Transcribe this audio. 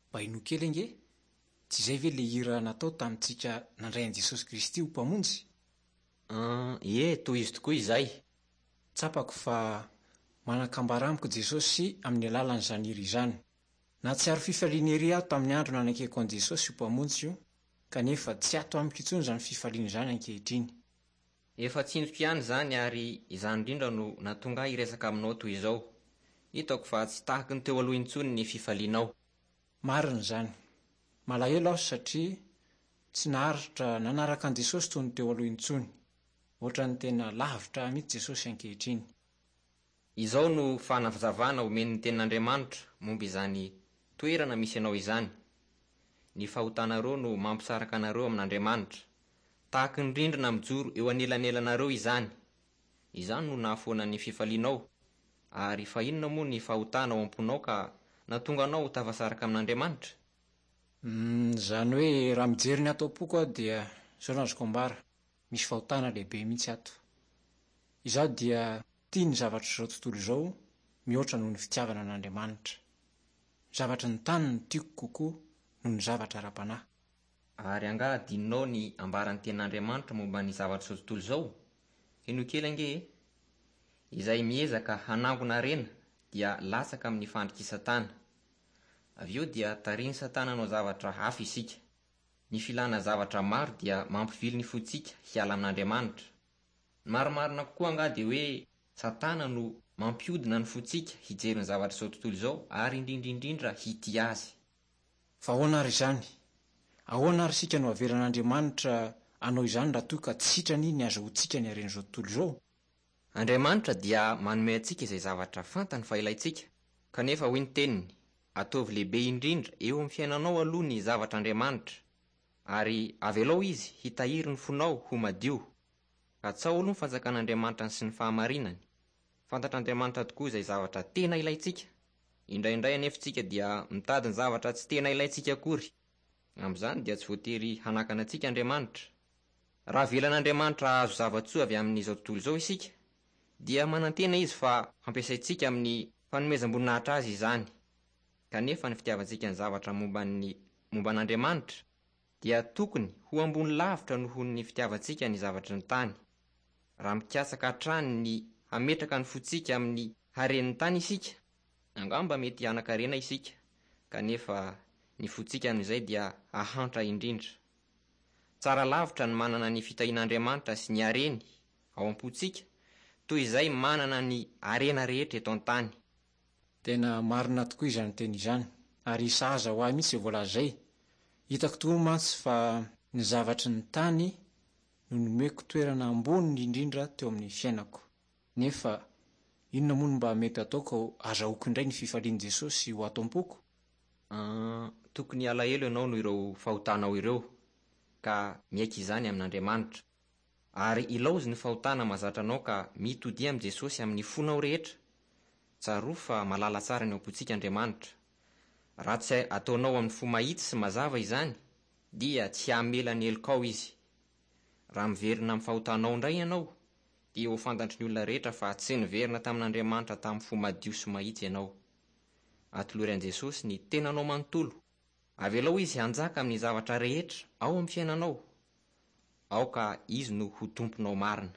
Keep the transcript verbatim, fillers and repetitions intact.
Mba henoy kely ange! Tsy izay ve ilay hira natao tamintsika nandray an'i Jesosy Kristy ho Mpamonjy? An, ie, tohizo tokoa izay. Tsapako fa manan-kambara amiko Jesosy amin'ny alalan'izany hira izany. Nahatsiaro fifaliana ery aho tamin'ny andro nanekeko an'i Jesosy ho Mpamonjy, kanefa tsy ato amiko intsony izany fifaliana izany ankehitriny. Efa tsinjoko ihany izany ary izany indrindra no nahatonga ahy hiresaka aminao toy izao. Hitako fa tsy tahaky ny teo aloha intsony ny fifalianao. Marina izany. Malahelo aho satria tsy naharitra nanaraka an'i Jesosy toy ny teo aloha intsony. Ohatran'ny tena lavitra ahy mihitsy Jesosy ankehitriny. Izao no fanazavana omen'ny Tenin'Andriamanitra momba izany toerana misy anao izany. Ny fahotanareo no mampisaraka anareo amin'Andriamanitra. Tahaky ny rindrina mijoro eo anelanelanareo izany. Izany no nahafoana ny fifalianao. Ary fa inona moa ny fahotana ao am-ponao ka nahatonga anao ho tafasaraka amin'Andriamanitra? Mm, izany hoe raha mijery ny ato am-poko aho dia izao no azoko ambara, misy fahotana lehibe mihitsy ato. Izaho dia tia ny zavatr'izao tontolo izao mihoatra noho ny fitiavana an'Andriamanitra. Ny zavatry ny tany no tiako kokoa noho ny zavatra ara-panahy. Ary angaha adinonao ny ambaran'ny Tenin'Andriamanitra momba ny zavatr'izao tontolo izao? Henoy kely ange e! Izay miezaka hanangona harena dia latsaka amin'ny fandrik'i Satana. Avy eo dia tarihin'i Satana hanao zavatra hafa isika. Ny filana zavatra maro dia mampivily ny fontsika hiala amin'Andriamanitra. Ny marimarina kokoa angaha dia hoe Satana no mampiodina ny fontsika hijery ny zavatr'izao tontolo izao ary indrindra indrindra hitia azy. Fa ahoana ary izany? Ahoana ary isika no avelan'Andriamanitra hanao izany raha toa ka tsy sitrany ny azahoantsika ny haren'izao tontolo izao? Andriamanitra dia manome antsika izay zavatra fantany fa ilaintsika, kanefa hoy ny teniny, ataovy lehibe indrindra eo amin'ny fiainanao aloha ny zavatr'Andriamanitra, ary avelao izy hitahiry ny fonao ho madio. Katsaho aloha ny fanjakan'Andriamanitra sy ny fahamarinany. Fantatr'Andriamanitra tokoa izay zavatra tena ilaintsika. Indraindray anefa isika dia mitady ny zavatra tsy tena ilaintsika akory. Amin'izany dia tsy voatery hanakana antsika Andriamanitra. Raha avelan'Andriamanitra hahazo zava-tsoa avy amin'izao tontolo izao isika, dia manantena izy fa hampiasaintsika amin'ny fanomezam-boninahitra azy izany. Kanefa ny fitiavantsika ny zavatra momba ny momba an'Andriamanitra dia tokony ho ambony lavitra noho ny fitiavantsika ny zavatry ny tany. Raha mikatsaka hatrany ny hametraka ny fontsika amin'ny haren'ny tany isika, angamba mety hanan-karena isika, kanefa ny fontsika amin'izay dia hahantra indrindra. Tsara lavitra ny manana ny fitahian'Andriamanitra sy ny hareny ao am-pontsika, toy izay manana ny harena rehetra eto an-tany. Tena marina tokoa izany teny izany, ary sahaza ho ahy mihitsy izay voalaza izay. Hitako tokoa mantsy fa ny zavatry ny tany no nomeko toerana ambony indrindra teo amin'ny fiainako. Nefa inona moa no mba mety ataoko azahoako indray ny fifalian'i Jesosy ho ato am-poko? An, tokony alahelo ianao noho ireo fahotanao ireo, ka miaiky izany amin'Andriamanitra. Ary ilaozy ny fahotana mahazatra anao ka mitodia amin'i Jesosy amin'ny fonao rehetra. Tsarovy fa mahalala tsara ny ao am-pontsika Andriamanitra. Raha tsy ataonao amin'ny fo mahitsy sy mazava izany, dia tsy hamela ny helokao izy. Raha miverina amin'ny fahotanao indray ianao, dia ho fantatry ny olona rehetra fa tsy niverina tamin'Andriamanitra tamin'ny fo madio sy mahitsy ianao. Atolory an'i Jesosy ny tenanao manontolo. Avelao izy hanjaka amin'ny zavatra rehetra ao amin'ny fiainanao. Aoka izy no ho tomponao marina.